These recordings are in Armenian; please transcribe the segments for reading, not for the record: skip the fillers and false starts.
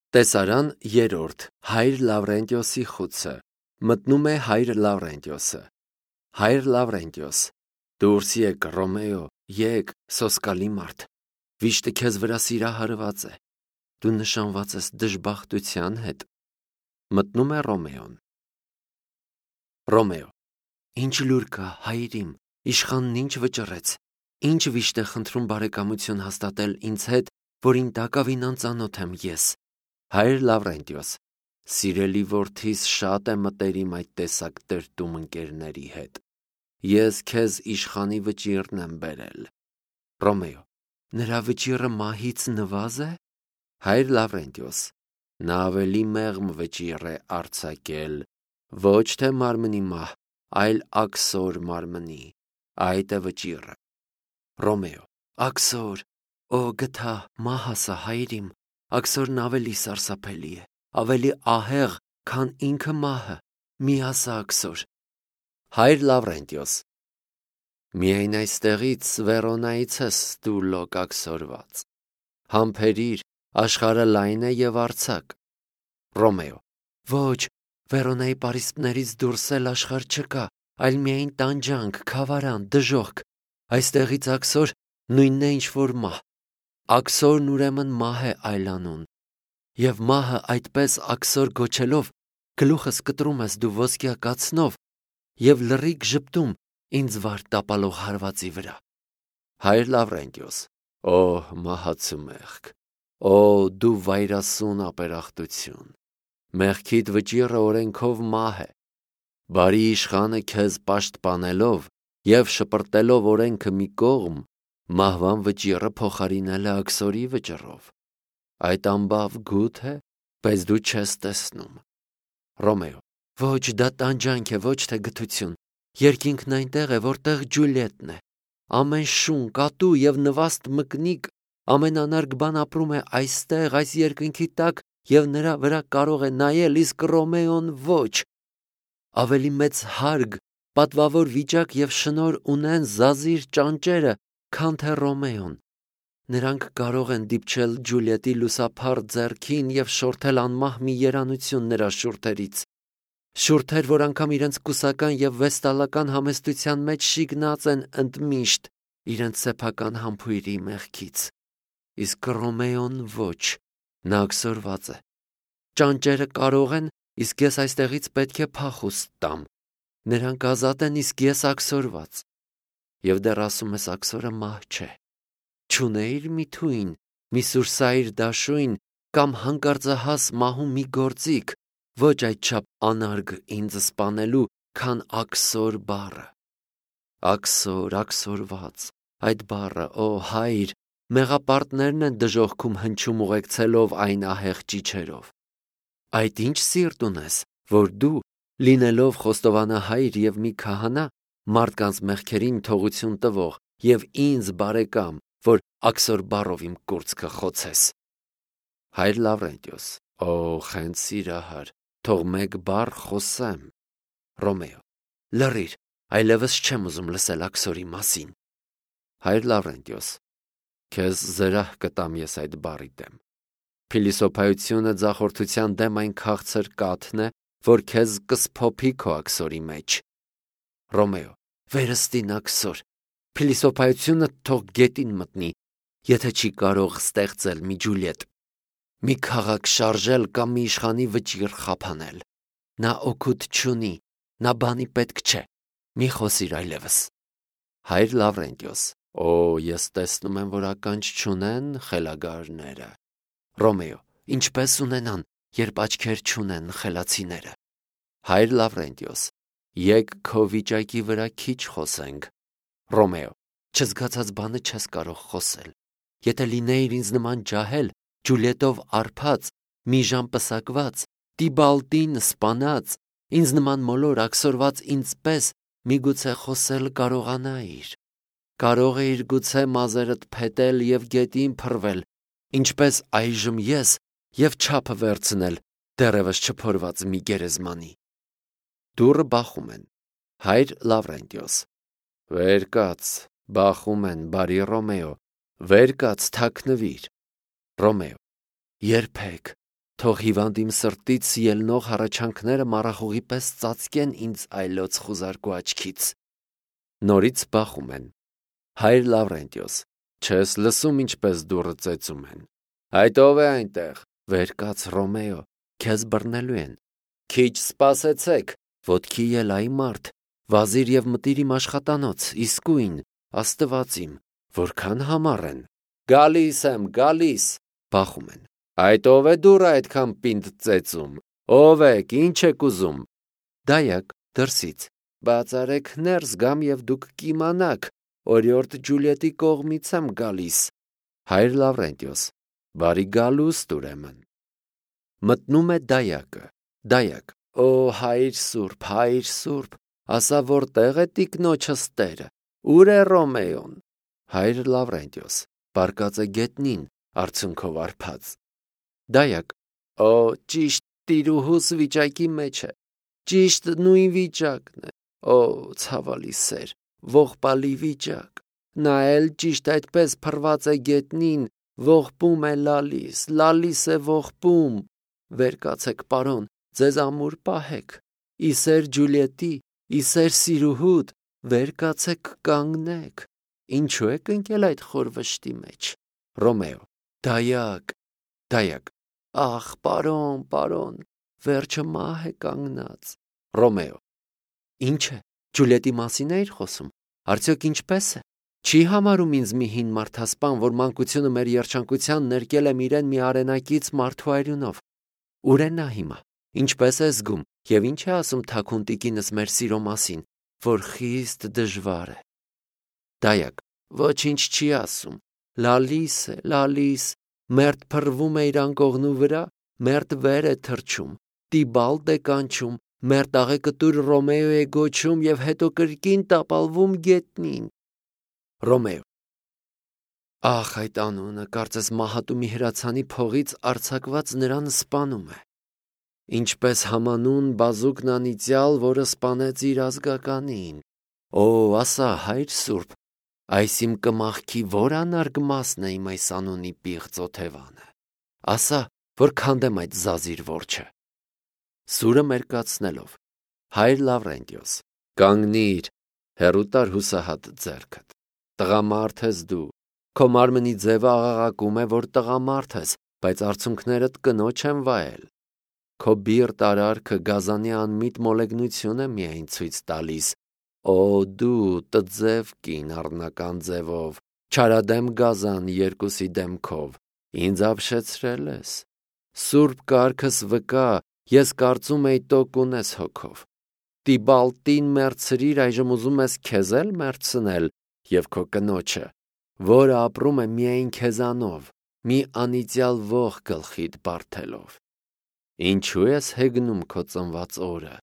Տեսարան երրորդ Հայր Լավրենտիոսի խուցը։ Մտնում է Հայր Լավրենտիոսը։ Հայր Լավրենտիոս, դուրս եկ, Ռոմեո, եկ, սոսկալի մարդ, վիշտը քեզ վրա սիրահարված է, դու նշանված ես դժբախտության հետ։ Մտնում է Ռոմեոն։ Ռոմեո, ինչ լուր կա, հայր իմ, իշխանն ինչ վճռեց, ինչ վիշտ է խնդրում բարեկամություն հաստատել ինձ հետ, որին տակավին անծանոթ եմ ես։ Հայր Լավրենտիոս, սիրելի որդիս, շատ է մտերիմ այդ տեսակ տրտում ընկերների հետ։ Ես քեզ իշխանի վճիռն եմ բերել։ Ռոմեո, նրա վճիռը մահից նվազ է։ Հայր Լավրենտիոս, նա ավելի մեղմ վճիռ է արձակել, ոչ թե մարմնի մահ, այլ աքսոր մարմնի, այդ է վճիռը։ Ռոմեո, աքսոր, օ գթա, մահ ասա, հայր իմ, աքսորն ավելի սարսափելի է, ավելի ահեղ, քան ինքը մահը, մի ասա աքսոր։ Հայր Լավրենտիոս, միայն այստեղից Վերոնայից ես դու լոկ աքսորված։ Համբերիր, աշխարհը լայն է եւ արձակ։ Ռոմեո, ոչ, Վերոնայի պարիսպներից դուրս էլ աշխարհ չկա, այլ միայն տանջանք, քավարան, դժոխք։ Այստեղից աքսոր նույնն է ինչ որ մահ։ Աքսորն ուրեմն մահ է այլանուն։ Եվ մահը այդպես աքսոր գոչելով, գլուխս կտրում ես դու ոսկյա կացնով եւ լռիկ ժպտում ինձ վար տապալող հարվածի վրա։ Հայր Լավրենտիոս, օ մահացու մեղք, օ դու վայրասուն ապերախտություն, մեղքիդ վճիռը օրենքով մահ է։ Բարի իշխանը քեզ պաշտպանելով եւ շպրտելով օրենքը մի կողմ, մահվան վճիռը փոխարինել է աքսորի վճռով։ Այդ ամբավ գութ է, բայց դու չես տեսնում։ Ռոմեո, ոչ, դա տանջանք է, ոչ թե գթություն։ Երկինքն այնտեղ է, որտեղ Ջուլիետն է։ Ամեն շուն, կատու եւ նվաստ մկնիկ, ամեն անարգ բան ապրում է այստեղ, այս երկնքի տակ, եւ նրա վրա կարող է նայել, իսկ Ռոմեոն ոչ։ Ավելի մեծ հարգ, պատվավոր վիճակ եւ շնոր ունեն զազիր ճանճերը, քան թե Ռոմեոն։ Նրանք կարող են դիպչել Ջուլիետի լուսափառ ձեռքին եւ շորթել անմահ մի երանություն նրա շուրթերից։ Շուրթեր, որ անգամ իրենց կուսական եւ վեստալական համեստության մեջ շիգնած են ընդմիշտ իրենց սեփական համբույրի մեղքից։ Իսկ Ռոմեոն ոչ, նա աքսորված է։ Ճանճերը կարող են, իսկ ես այստեղից պետք է փախուստ տամ։ Նրանք ազատ են, իսկ ես աքսորված։ Եվ դեռ ասում ես աքսորը մահ չէ։ Չունեիր մի թույն, մի սուրսայր դաշույն կամ հանկարծահաս մահու մի գործիք, ոչ այդչափ անարգ ինձ սպանելու, քան աքսոր բառը։ Աքսոր, աքսորված, այդ բառը, օ հայր, մեղապարտներն են դժոխքում հնչում ուղեկցելով այն ահեղ ճիչերով։ Այդ ինչ սիրտ ունես, որ դու, լինելով խոստովանահայր եւ մի քահանա, մարդկանց մեղքերին թողություն տվող եւ ինձ բարեկամ, որ աքսոր բառով իմ կուրծքը խոցես։ Հայր Լավրենտիոս, օ խենթ սիրահար, թող մեկ բառ խոսեմ։ Ռոմեո, լռիր, այլևս չեմ ուզում լսել աքսորի մասին։ Հայր Լավրենտիոս, քեզ զրահ կտամ ես այդ բառի դեմ։ Փիլիսոփայությունը ձախորդության դեմ այն քաղցր կաթն է, որ քեզ կսփոփի քո աքսորի մեջ։ Ռոմեո, վերստին աքսոր, փիլիսոփայությունը թող գետին մտնի, եթե չի կարող ստեղծել մի Ջուլիետ, մի քաղաք շարժել կամ մի իշխանի վճիռ խափանել։ Նա օգուտ չունի, նա բանի պետք չէ, մի խոսիր այլևս։ Հայր Լավրենտիոս, օ ես տեսնում եմ, որ ականջ չունեն խելագարները։ Ռոմեո, ինչպես ունենան, երբ աչքեր չունեն խելացիները։ Հայր Լավրենտիոս, եկ քո վիճակի վրա քիչ խոսենք։ Ռոմեո, չզգացած բանը չես կարող խոսել։ Եթե լինեիր ինձ նման ջահել, Ջուլիետով արփած, մի ժամ պսակված, Տիբալտին սպանած, ինձ նման մոլոր աքսորված ինձպես միգուցե խոսել կարողանայիր։ Կարող էիր գուցե մազերդ փետել եւ գետին փռվել, ինչպես այժմ ես, եւ չափը վերցնել դեռևս չփորված մի գերեզմանի։ Դուռը բախում են։ Հայր Լավրենտիոս, վեր կաց, բախում են, բարի Ռոմեո, վեր կաց, թաքնվիր։ Ռոմեո, երբեք, թող հիվանդ իմ սրտից ելնող հառաչանքները մառախուղի պես ծածկեն ինձ այլոց խուզարկու աչքից։ Նորից բախում են։ Հայր Լավրենտիոս, չես լսում ինչպես դուռը ծեծում են։ Այդ ով է այնտեղ։ Վեր կաց Ռոմեո, քեզ բռնելու են։ Քիչ սպասեցեք, ոտքի ելայի մարդ, վազիր եւ մտիր իմ աշխատանոց, իսկույն, Աստված իմ, որքան համառ են։ Գալիս եմ, գալիս, բախում են։ Այդ ով է դուռը այդքան պինդ ծեծում։ Ով եք, ինչ եք ուզում։ Դայակ, դրսից, բացարեք ներս գամ եւ դուք կիմանաք, օրիորդ Ջուլիետի կողմից եմ գալիս։ Հայր Լավրենտիոս, բարի գալուստ ուրեմն։ Մտնում է դայակը։ Դայակ, օ հայր սուրբ, ասա որտեղ է տիկնոջս տերը, ուր է Ռոմեոն։ Հայր Լավրենտիոս, պարկած է գետնին, արցունքով արփած։ Դայակ, օ ճիշտ տիրուհուս վիճակի մեջ է, ճիշտ նույն վիճակն է, օ ցավալի սեր, ողբալի վիճակ, նա էլ ճիշտ այդպես փռված է գետնին, ողբում է լալիս է ողբում, վեր կացեք պարոն, ձեզ ամուր պահեք, իսեր Ջուլիետի, իսեր սիրուհուդ, վեր կացեք կանգնեք, ինչու եք ընկել այդ խոր վշտի մեջ։ Ռոմեո, դայակ, ախ պարոն, վերջը մահ է կանգնած։ Ռոմեո, ինչ է, Ջուլիետի մասին էիր խոսում, արդյոք ինչպես է։ Չի համարում ինձ մի հին մարդասպան, որ մանկությունը մեր երջանկության ներկել եմ իրեն մի արենակից մարդու այրունով։ Ուր է նա հիմա, ինչպես է զգում եւ ինչ է ասում թաքուն տիկինս մեր սիրո մասին, որ խիստ դժվար է։ Դայակ, ոչինչ չի ասում, լալիս, մերթ փռվում է իր անկողնու վրա, մերթ վեր է թռչում, Տիբալտ է կանչում, մերթ աղեկտուր Ռոմեո է գոչում եւ հետո կրկին տապալվում գետնին։ Ռոմեո, ախ այդ անունը, կարծես մահատու մի հրացանի փողից արձակված նրան սպանում է։ Ինչպես համանուն բազուկն անիծյալ, որը սպանեց իր ազգականին։ Օ, ասա, հայր սուրբ, այս իմ կմախքի որ անարգ մասն է իմ այս անունի պիղծ օթևանը։ Ասա, որ քանդեմ այդ զազիր որջը։ Սուրը մերկացնելով, հայր Լավրենտիոս, կանգնիր, հեռու տար հուսահատ ձեռքդ։ Տղամարդ ես դու, քո մարմնի ձևը աղաղակում է, որ տղամարդ ես, բայց արցունքներդ կնոջ են վայել։ Քո բիրտ արարքը գազանի անմիտ մոլեգնություն է միայն ցույց տալիս։ Օ դու տձև կին առնական ձևով, չարադեմ գազան երկուսի դեմքով, ինձ ապշեցրել ես։ Սուրբ կարգս վկա, ես կարծում էի տոկ ունես հոգով։ Տիբալտին մերցրիր, այժմ ուզում ես քեզ էլ մերցնել եւ քո կնոջը, որը ապրում է միայն քեզանով, մի անիծյալ ող գլխիդ բարթելով։ Ինչու ես հեգնում քո ծնված օրը,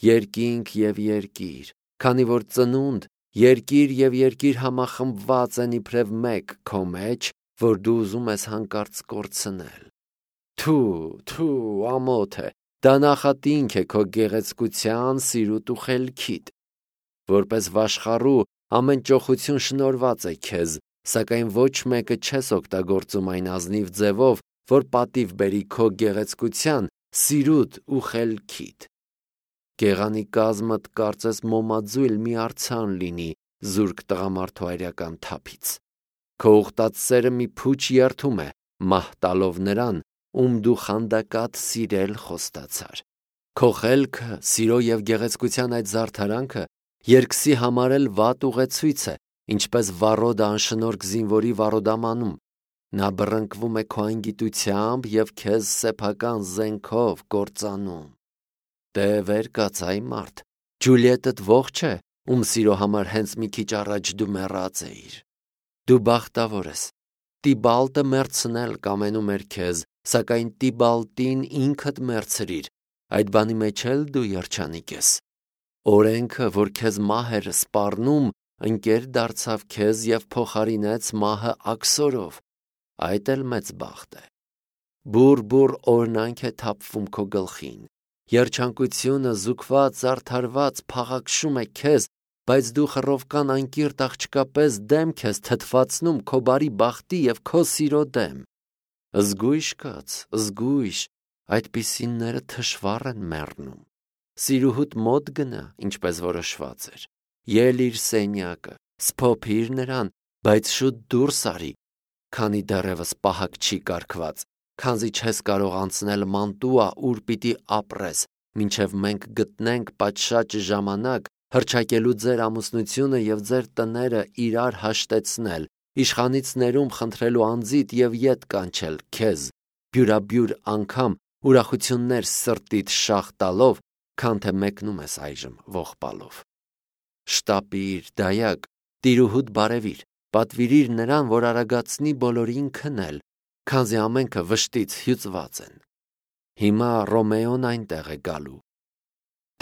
երկինք եւ երկիր, քանի որ ծնունդ, երկիր եւ երկիր համախմբված են իբրև մեկ քո մեջ, որ դու ուզում ես հանկարծ կորցնել։ Թու, ամոթ է, դա նախատինք է քո գեղեցկության, սիրուտ ու խելքիդ։ Որպես վաշխառու ամեն ճոխություն շնորված է քեզ, սակայն ոչ մեկը չես օգտագործում այն ազնիվ ձևով, որ պատիվ բերի քո գեղեցկության, սիրուտ ու խելքիդ։ Գեղանի կազմդ կարծես մոմաձույլ մի արձան լինի զուրկ տղամարդու այրական թափից։ Քո ուխտած սերը մի փուչ երթում է, մահ տալով նրան, ում դու խանդակատ սիրել խոստացար։ Քո խելքը, սիրո եւ գեղեցկության այդ զարդարանքը երկսի համարել վատ ուղեցույց է, ինչպես վառոդը անշնորհք զինվորի վառոդամանում։ Նա բռնկվում է քո անգիտությամբ եւ քեզ սեփական զենքով կործանում։ Դե վեր կաց այ մարդ, Ջուլիետդ ողջ է, ում սիրո համար հենց մի քիչ առաջ դու մեռած էիր։ Դու բախտավոր ես։ Տիբալտը մերցնել կամենում էր քեզ, սակայն Տիբալտին ինքդ մերցրիր, այդ բանի մեջ էլ դու երջանիկ ես։ Օրենքը, որ քեզ մահ էր սպառնում, ընկեր դարձավ քեզ եւ փոխարինեց մահը աքսորով, այդ էլ մեծ բախտ է։ Բուր օրնանք է թափվում քո գլխին, երջանկությունը զուգված, զարդարված փաղաքշում է քեզ, բայց դու խռովկան անկիրտ աղջկապես դեմք ես թթվածնում քո բարի բախտի եւ քո սիրո դեմ։ Զգույշ կաց, զգույշ, այդպիսինները թշվառ են մեռնում։ Սիրուհուդ մոտ գնա, ինչպես որոշված էր, ել իր սենյակը, սփոփիր նրան, բայց շուտ դուրս արի, քանի դեռևս պահակ չի կարգված, քանզի չես կարող անցնել Մանտուա, ուր պիտի ապրես, մինչև մենք գտնենք պատշաճ ժամանակ հռչակելու ձեր ամուսնությունը եւ ձեր տները իրար հաշտեցնել, իշխանից ներում խնդրելու անձիդ եւ ետ կանչել քեզ, բյուրաբյուր անգամ ուրախություններ սրտիդ շաղ տալով, քան թե մեկնում ես այժմ ողբալով։ Շտապիր, դայակ, տիրուհուդ բարևիր, պատվիրիր նրան, որ արագացնի բոլորին քնել, քանզի ամենքը վշտից հյուծված են։ Հիմա Ռոմեոն այնտեղ է գալու։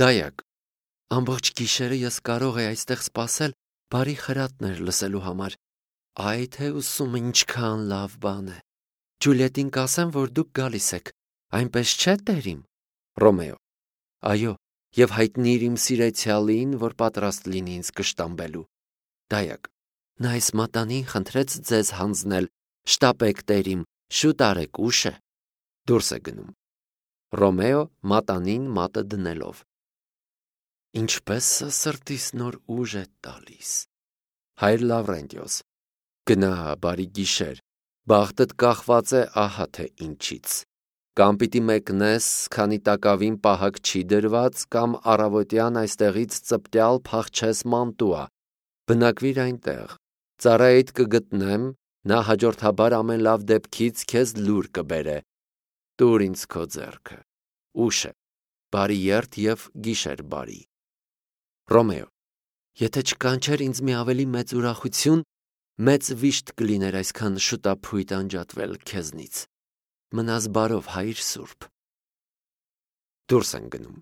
Դայակ, ամբողջ գիշերը ես կարող էի այստեղ սպասել բարի խրատներ լսելու համար։ Այ թե ուսումը ինչքան լավ բան է։ Ջուլիետին կասեմ, որ դուք գալիս եք, այնպես չէ՞ տերիմ։ Ռոմեո. Այո, եւ հայտնիր իմ սիրեցյալին, որ պատրաստ լինի ինձ կշտամբելու։ Դայակ. նա այս մատանին խնդրեց ձեզ հանձնել, շտապեք տերիմ, շուտ արեք, ուշ է։ Դուրս է գնում։ Ռոմեո մատանին մատը դնելով. Ինչպես սրտիս նոր ուժ է տալիս։ Հայր Լավրենտիոս. գնա, բարի գիշեր, բախտդ կախված է ահա թե ինչից։ Կամ պիտի մեկնես, քանի տակավին պահակ չի դրված, կամ առավոտյան այստեղից ծպտյալ փախչես Մանտուա, բնակվիր այնտեղ, ծառայիդ կգտնեմ, նա հաջորդաբար ամեն լավ դեպքից քեզ լուր կբերե, տուր ինձ քո ձեռքը, ուշ է, բարի երթ եւ գիշեր բարի։ Ռոմեո. եթե չկանչեր ինձ մի ավելի մեծ ուրախություն, մեծ վիշտ կլիներ այսքան շուտափույթ անջատվել քեզնից։ Մնաս բարով, հայր սուրբ։ Դուրս են գնում։